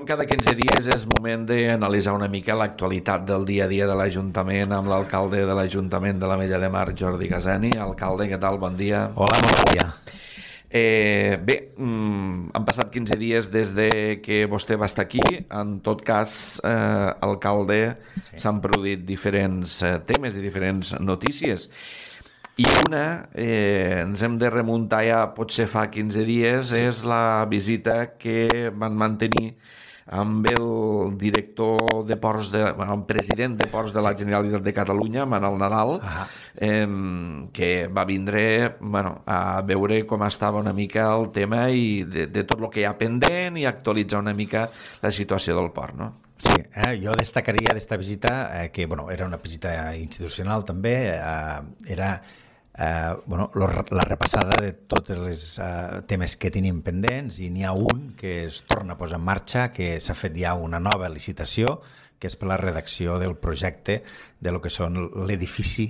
com cada 15 dies és moment d'analitzar una mica l'actualitat del dia a dia de l'Ajuntament amb l'alcalde de l'Ajuntament de l'Ametlla de Mar, Jordi Casani. Alcalde, què tal? Bon dia. Hola, bon dia. Bé, han passat 15 dies des de que vostè va estar aquí. En tot cas, alcalde, s'han produït diferents temes i diferents notícies. I una, ens hem de remuntar ja potser fa 15 dies, és la visita que van mantenir amb el director de Ports, el president de Ports de la Generalitat de Catalunya, Manel Nadal, que va vindre a veure com estava una mica el tema i de tot el que hi ha pendent i actualitzar una mica la situació del port, no? Sí, jo destacaria d'esta visita que era una visita institucional també, era la repassada de tots els temes que tenim pendents, i n'hi ha un que es torna a posar en marxa, que s'ha fet ja una nova licitació, que és per la redacció del projecte de lo que són l'edifici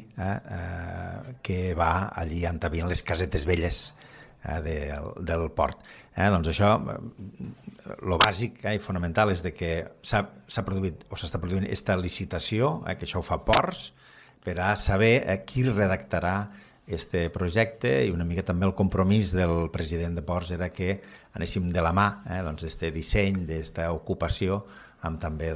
que va allí on hi havia les casetes velles del port. Doncs això, el bàsic i fonamental és que s'ha produït o s'està produint aquesta licitació, que això ho fa Ports, per a saber qui redactarà este projecte, i una mica també el compromís del president de Ports era que anéssim de la mà d'este disseny, d'esta ocupació, amb també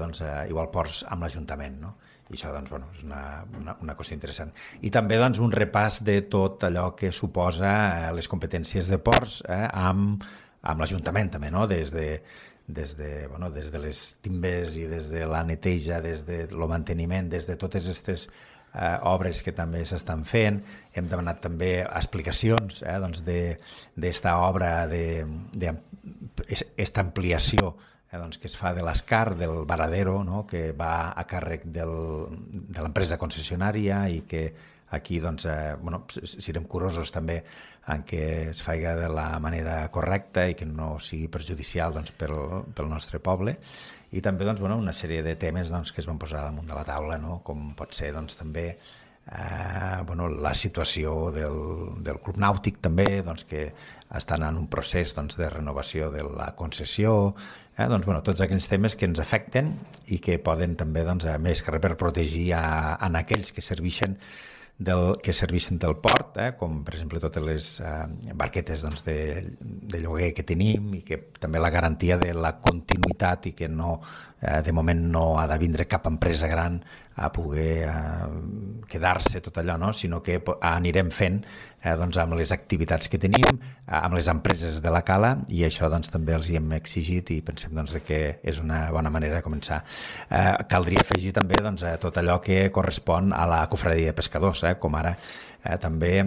igual Ports amb l'Ajuntament, no? I això és una qüestió interessant. I també un repàs de tot allò que suposa les competències de Ports amb l'Ajuntament també, no? Des de les timbes i des de la neteja, des del manteniment, des de totes aquestes obres que també s'estan fent. Hem demanat també explicacions d'esta obra, d'esta ampliació que es fa de l'Escar, del Varadero, que va a càrrec de l'empresa concessionària, i que aquí serem curosos també en què es faci de la manera correcta i que no sigui perjudicial pel nostre poble. I també una sèrie de temes que es van posar damunt de la taula, com pot ser també la situació del Club Nàutic també, que estan en un procés de renovació de la concessió, tots aquells temes que ens afecten i que poden també, més que res, per protegir en aquells que serveixen del port, com per exemple totes les barquetes de lloguer que tenim, i que també la garantia de la continuïtat, i que de moment no ha de vindre cap empresa gran a poder quedar-se tot allò, sinó que anirem fent amb les activitats que tenim, amb les empreses de la cala, i això també els hi hem exigit, i pensem que és una bona manera de començar. Caldria afegir també tot allò que correspon a la cofradia de pescadors, com ara també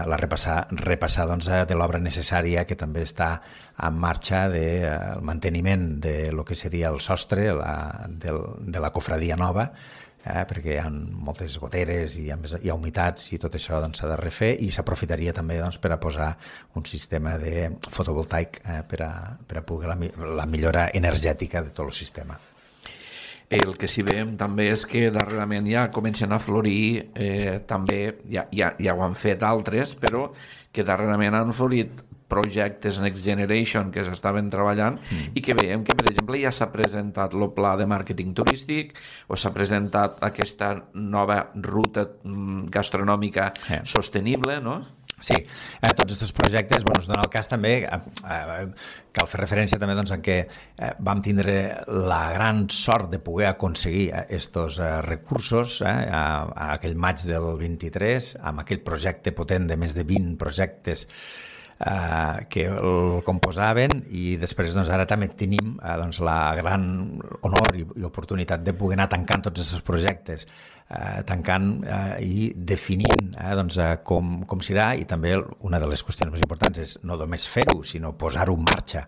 repassar de l'obra necessària que també està en marxa del manteniment de lo que seria el sostre de la cofradia nova, perquè hi ha moltes goteres i hi ha humitats, i tot això s'ha de refer, i s'aprofitaria també per a posar un sistema de fotovoltaic per a poder la millora energètica de tot el sistema. El que sí veiem també és que darrerament ja comencen a florir, també ja ho han fet altres, però que darrerament han florit projectes Next Generation que s'estaven treballant, i que veiem que, per exemple, ja s'ha presentat el pla de màrqueting turístic, o s'ha presentat aquesta nova ruta gastronòmica sostenible, no? Sí, tots aquests projectes, es dona el cas també, cal fer referència també en què vam tindre la gran sort de poder aconseguir aquests recursos a aquell maig del 23, amb aquell projecte potent de més de 20 projectes que el composaven, i després ara també tenim la gran honor i oportunitat de poder anar tancant tots aquests projectes, tancant i definint com serà, i també una de les qüestions més importants és no només fer-ho, sinó posar-ho en marxa,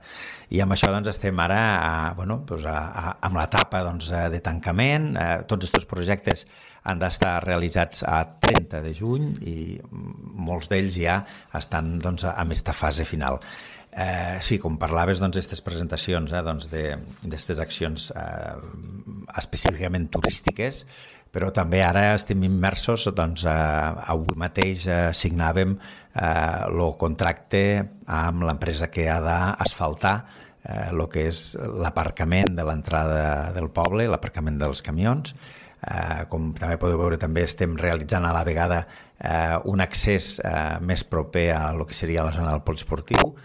i amb això estem ara amb l'etapa de tancament. Tots aquests projectes han d'estar realitzats a 30 de juny i molts d'ells ja estan en aquesta fase final. Sí, com parlaves d'aquestes presentacions, d'aquestes accions específicament turístiques, però també ara estem immersos, avui mateix signàvem el contracte amb l'empresa que ha d'asfaltar el que és l'aparcament de l'entrada del poble, l'aparcament dels camions. Com també podeu veure, també estem realitzant a la vegada un accés més proper a lo que seria la zona del poliesportiu,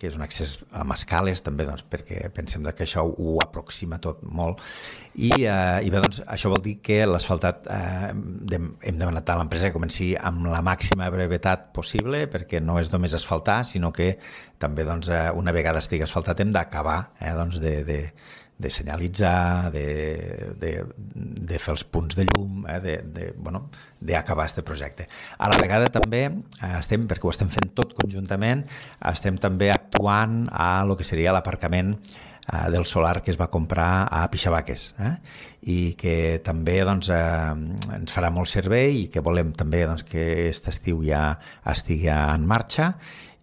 que és un accés amb escales també, doncs, perquè pensem que això ho aproxima tot molt i bé, doncs, això vol dir que l'asfaltat hem demanat a l'empresa que comenci amb la màxima brevetat possible, perquè no és només asfaltar, sinó que també doncs, una vegada estigui asfaltat hem d'acabar doncs, de senyalitzar, de fer els punts de llum, d'acabar aquest projecte. A la vegada també perquè ho estem fent tot conjuntament, estem també actuant a lo que seria l'aparcament del solar que es va comprar a Pixabaques i que també doncs, ens farà molt servei i que volem també doncs, que aquest estiu ja estigui en marxa.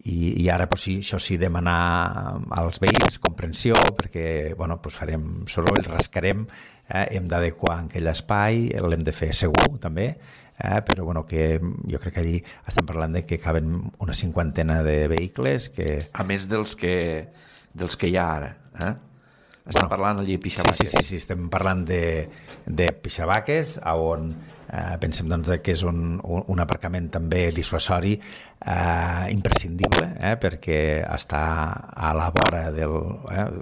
I ara, això sí, demanar als veïns comprensió perquè farem soroll, rascarem, hem d'adequar aquell espai, l'hem de fer segur també, però que jo crec que allí estem parlant de que caben una 50 de vehicles. A més dels que hi ha ara, Estem parlant allí a Pixabaques. Sí, estem parlant de Pixabaques, on pensem doncs, que és un aparcament també dissuasori imprescindible, perquè està a la vora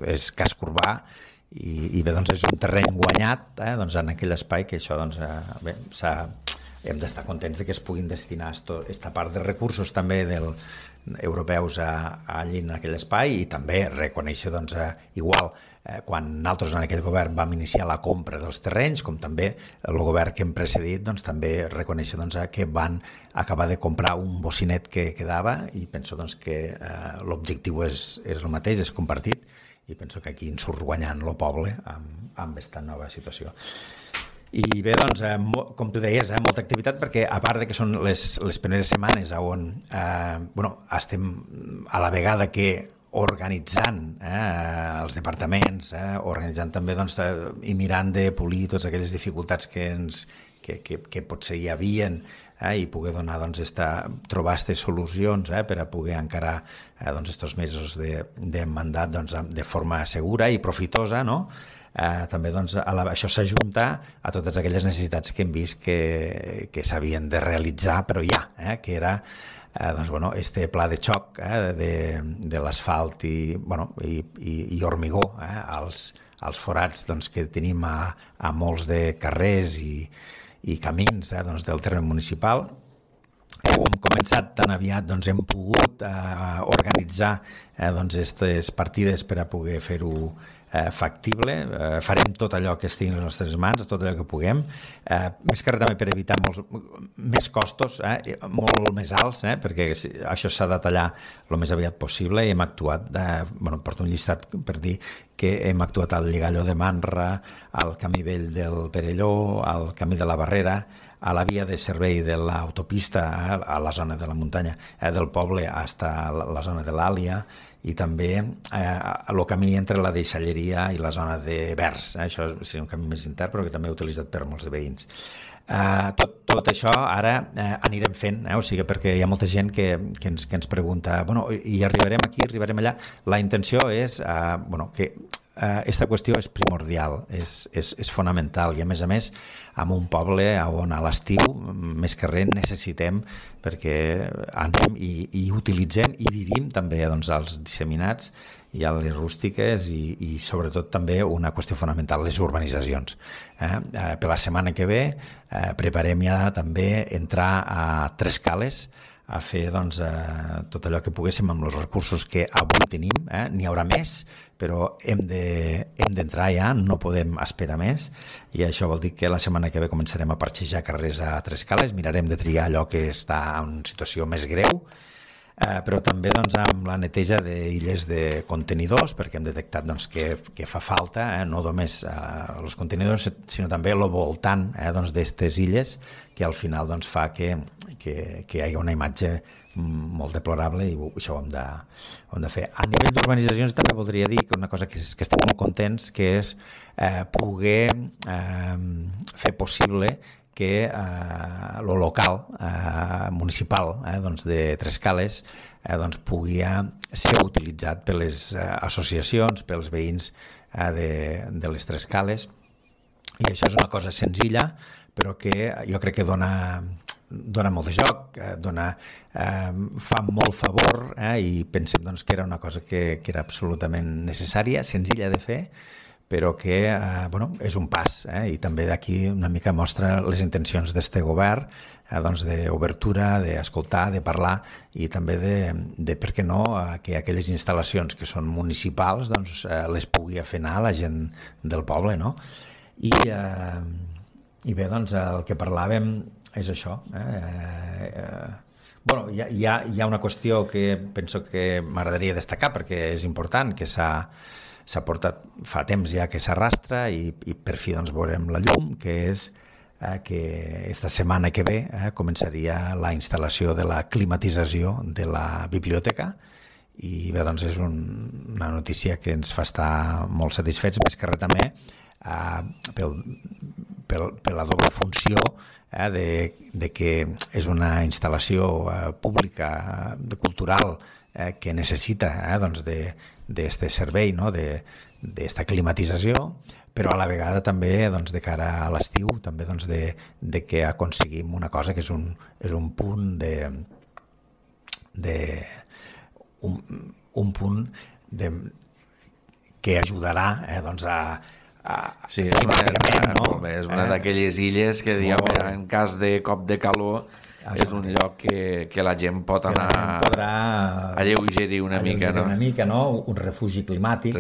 és casc urbà i bé, doncs és un terreny guanyat doncs, en aquell espai que això doncs, bé, hem d'estar contents que es puguin destinar aquesta part de recursos també europeus allí en aquell espai i també reconèixer doncs, igual quan nosaltres en aquell govern vam iniciar la compra dels terrenys, com també el govern que hem precedit doncs, també reconèixer doncs, que van acabar de comprar un bocinet que quedava i penso doncs, que l'objectiu és el mateix, és compartit i penso que aquí ens surt guanyant el poble amb aquesta nova situació. I bé, doncs, com tu deies, molta activitat perquè a part de que són les primeres setmanes on estem a la vegada que organitzant els departaments, organitzant també doncs, i mirant de polir totes aquelles dificultats que potser hi havien i poder donar, doncs, trobar aquestes solucions per a poder encarar aquests mesos de mandat doncs, de forma segura i profitosa, no? També doncs, això s'ajunta a totes aquelles necessitats que hem vist que s'havien de realitzar, però que era este pla de xoc de l'asfalt i hormigó als forats doncs, que tenim a molts de carrers i camins del terme municipal. Hem començat tan aviat, doncs, hem pogut organitzar aquestes partides per a poder fer-ho factible, farem tot allò que estigui en les nostres mans, tot allò que puguem, més que res també per evitar més costos, molt més alts, perquè això s'ha de tallar el més aviat possible i hem actuat, porto un llistat per dir que hem actuat al Lligalló de Manra, al Camí Vell del Perelló, al Camí de la Barrera, a la via de servei de l'autopista a la zona de la muntanya del poble fins a la zona de l'Àlia i també el camí entre la deixalleria i la zona de Vers. Això seria un camí més intern però que també he utilitzat per molts de veïns. Tot això ara anirem fent, o sigui, perquè hi ha molta gent que ens pregunta i arribarem aquí, arribarem allà. La intenció és que aquesta qüestió és primordial, és fonamental i a més en un poble on a l'estiu més que res necessitem perquè anem i utilitzem i vivim també doncs, els disseminats i a les rústiques i sobretot també una qüestió fonamental, les urbanitzacions. Per la setmana que ve preparem ja també entrar a Tres Cales a fer doncs, tot allò que poguéssim amb els recursos que avui tenim, n'hi haurà més, però hem d'entrar ja, no podem esperar més i això vol dir que la setmana que ve començarem a parxejar carrers a Tres Cales, mirarem de triar allò que està en situació més greu, però també doncs, amb la neteja d'illes de contenidors, perquè hem detectat doncs, que fa falta, no només els contenidors, sinó també el voltant d'aquestes illes, que al final doncs, fa que hi hagi una imatge molt deplorable i això ho hem de fer. A nivell d'urbanitzacions també voldria dir que una cosa que estem molt contents, que és poder fer possible que el local municipal doncs de Tres Cales doncs pugui ser utilitzat per les associacions, pels veïns de les Tres Cales. I això és una cosa senzilla, però que jo crec que dona molt de joc, fa molt favor, i pensem doncs, que era una cosa que era absolutament necessària, senzilla de fer, però que és un pas, i també d'aquí una mica mostra les intencions d'este govern, doncs d'obertura, d'escoltar, de parlar, i també de per què no, que aquelles instal·lacions que són municipals doncs, les pugui fer anar la gent del poble, no? I bé, doncs el que parlàvem és això. Hi ha una qüestió que penso que m'agradaria destacar perquè és important, que s'ha portat fa temps ja que s'arrastra i per fi doncs veurem la llum, que és que esta setmana que ve començaria la instal·lació de la climatització de la biblioteca, i bé, doncs és una notícia que ens fa estar molt satisfets, més que res també per la doble funció de que és una instal·lació pública, cultural, que necessita d'aquest servei, d'esta climatització, però a la vegada també de cara a l'estiu, també de que aconseguim una cosa que és un punt que ajudarà sí, és una d'aquelles illes que, diguem, en cas de cop de calor, és un lloc que la gent pot anar a lleugerir una mica, no? Un refugi climàtic.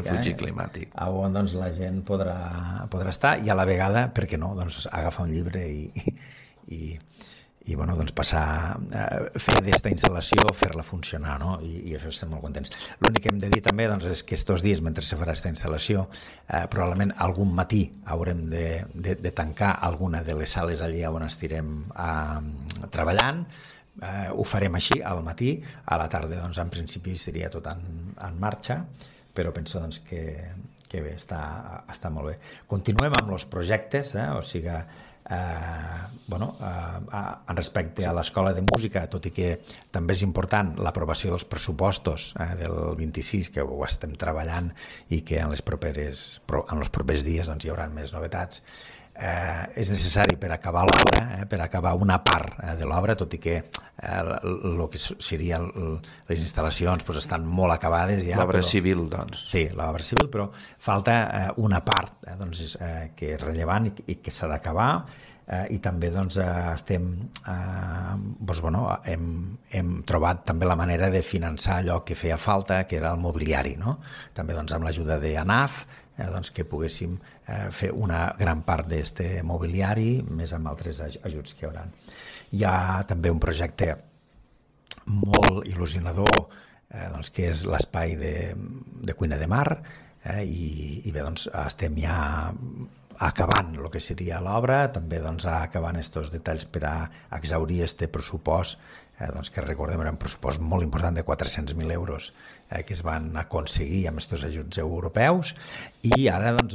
On doncs, la gent podrà estar, i a la vegada, per què no, doncs, agafar un llibre i bueno, doncs passar, fer d'esta instal·lació, fer-la funcionar, no? I això estem molt contents. L'únic que hem de dir també doncs, és que estos dies, mentre se farà aquesta instal·lació, probablement algun matí haurem de tancar alguna de les sales allí on estirem treballant. Ho farem així al matí, a la tarda doncs, en principi seria tot en marxa, però penso doncs, que bé, està molt bé. Continuem amb els projectes, o sigui, en respecte a l'Escola de Música, tot i que també és important l'aprovació dels pressupostos del 26, que ho estem treballant i que en els propers dies doncs, hi haurà més novetats. És necessari per acabar l'obra, per acabar una part de l'obra, tot i que el que serien les instal·lacions doncs, estan molt acabades ja. L'obra civil, doncs. Sí, l'obra civil, però falta una part doncs, que és rellevant i que s'ha d'acabar, i també doncs, hem trobat també la manera de finançar allò que feia falta, que era el mobiliari, no? També doncs, amb l'ajuda d'ANAF, doncs, que poguéssim fer una gran part d'aquest mobiliari, més amb altres ajuts que hi haurà. Hi ha també un projecte molt il·lusionador, doncs, que és l'espai de cuina de mar, i bé, doncs, estem ja acabant el que seria l'obra, també doncs, acabant aquests detalls per a exaurir aquest pressupost, doncs, que recordem era un pressupost molt important de 400.000 euros que es van aconseguir amb aquests ajuts europeus, i ara doncs,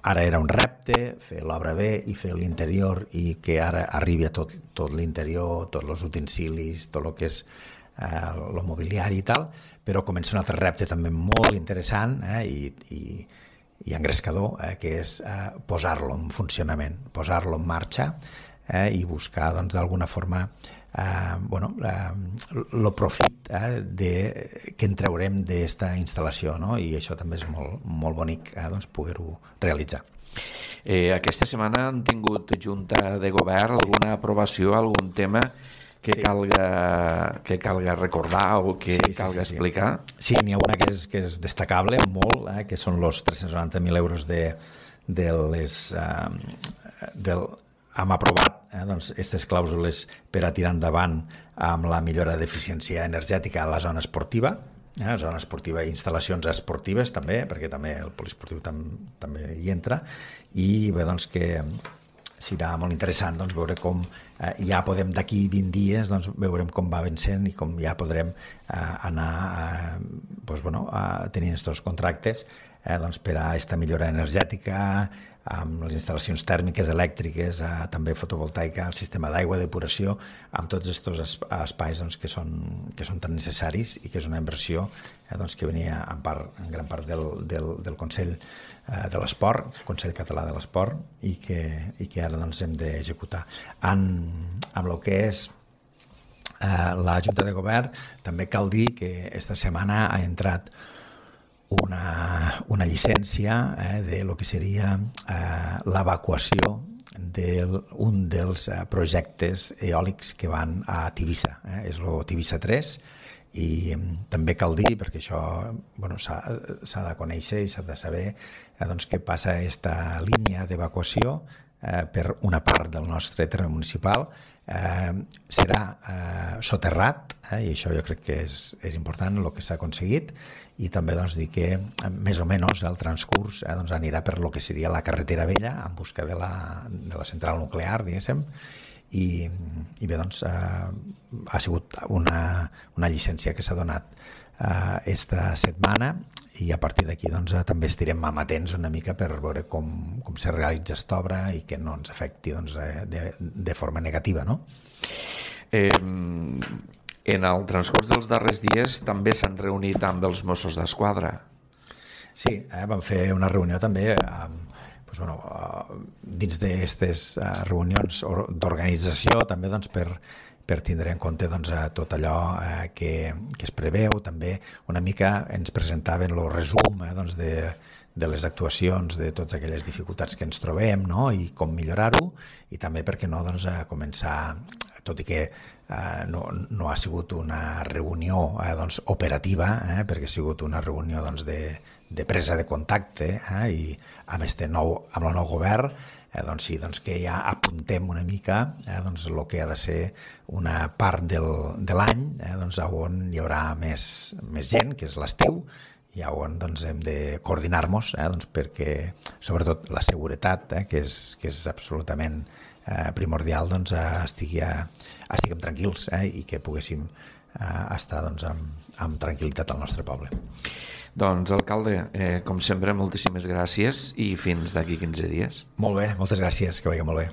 ara era un repte fer l'obra bé i fer l'interior, i que ara arribi a tot l'interior, tots els utensilis, tot el que és el mobiliari i tal, però comença un altre repte també molt interessant i engrescador, que és posar-lo en funcionament, posar-lo en marxa, i buscar doncs, d'alguna forma el profit que en traurem d'aquesta instal·lació, no? I això també és molt, molt bonic doncs, poder-ho realitzar. Aquesta setmana han tingut junta de govern alguna aprovació, algun tema que calga recordar o que calga explicar? Sí, n'hi ha una que és destacable molt, que són els 390.000 euros hem aprovat aquestes clàusules per a tirar endavant amb la millora d'eficiència energètica a la zona esportiva, zona esportiva i instal·lacions esportives també, perquè també el poliesportiu també hi entra, i bé, doncs que serà molt interessant doncs, veure com ja podem d'aquí 20 dies doncs, veurem com va vencent i com ja podrem anar tenint aquests contractes doncs per a aquesta millora energètica, amb les instal·lacions tèrmiques, elèctriques, també fotovoltaica, el sistema d'aigua, depuració, amb tots aquests espais doncs, que són tan necessaris i que és una inversió doncs, que venia en gran part del Consell de l'Esport, Consell Català de l'Esport, i que ara doncs, hem d'executar. Amb el que és la Junta de Govern, també cal dir que esta setmana ha entrat una llicència de lo que seria l'evacuació d'un dels projectes eòlics que van a Tivissa, és el Tivissa 3, i també cal dir, perquè això s'ha de conèixer i s'ha de saber doncs, què passa aquesta línia d'evacuació per una part del nostre terme municipal, serà soterrat, i això jo crec que és important el que s'ha aconseguit, i també doncs, dir que més o menys el transcurs doncs, anirà per lo que seria la carretera vella en busca de la central nuclear, diguéssim, i bé, doncs, ha sigut una llicència que s'ha donat esta setmana, i a partir d'aquí doncs, també estirem amatents una mica per veure com se realitza aquesta obra i que no ens afecti doncs, de forma negativa, no? En el transcurs dels darrers dies també s'han reunit amb els Mossos d'Esquadra. Sí, vam fer una reunió també dins d'aquestes reunions d'organització també doncs, per tindre en compte doncs, tot allò que es preveu. També una mica ens presentaven el resum doncs, de les actuacions, de totes aquelles dificultats que ens trobem, no? I com millorar-ho, i també, per què no, doncs, començar, tot i que no ha sigut una reunió doncs, operativa, perquè ha sigut una reunió doncs, de presa de contacte, i amb el nou govern, doncs sí, doncs que ja apuntem una mica doncs el que ha de ser una part de l'any doncs on hi haurà més gent, que és l'estiu, i on doncs, hem de coordinar-nos doncs, perquè sobretot la seguretat, que és absolutament primordial, doncs, estiguem tranquils i que poguéssim estar doncs, amb tranquil·litat al nostre poble. Doncs, alcalde, com sempre, moltíssimes gràcies i fins d'aquí 15 dies. Molt bé, moltes gràcies, que vagi molt bé.